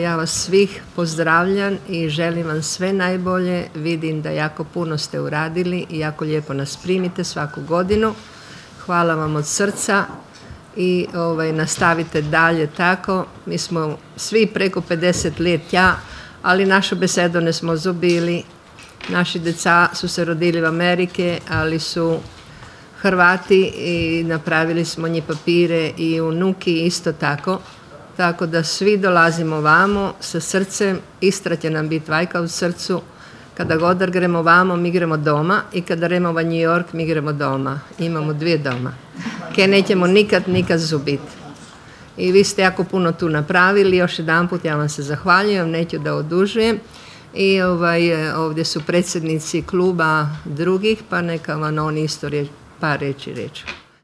Ja vas svih pozdravljam i želim vam sve najbolje. Vidim da jako puno ste uradili i jako lijepo nas primite svaku godinu. Hvala vam od srca i nastavite dalje tako. Mi smo svi preko 50 leta, ali našu besedo ne smo zobili. Naši deca su se rodili v Amerike, ali su Hrvati i napravili smo njih papire i unuki isto tako. Tako da svi dolazimo vamo sa srcem, Istra će nam biti vajka u srcu. Kada god gremo vamo, mi gremo doma i kada gremo v New York, mi gremo doma. Imamo 2 doma. Ke nećemo nikad zubiti. I vi ste jako puno tu napravili. Još jedanput ja vam se zahvaljujem, neću da odužujem. I ovdje su predsjednici kluba drugih, pa neka vam oni isto par reći.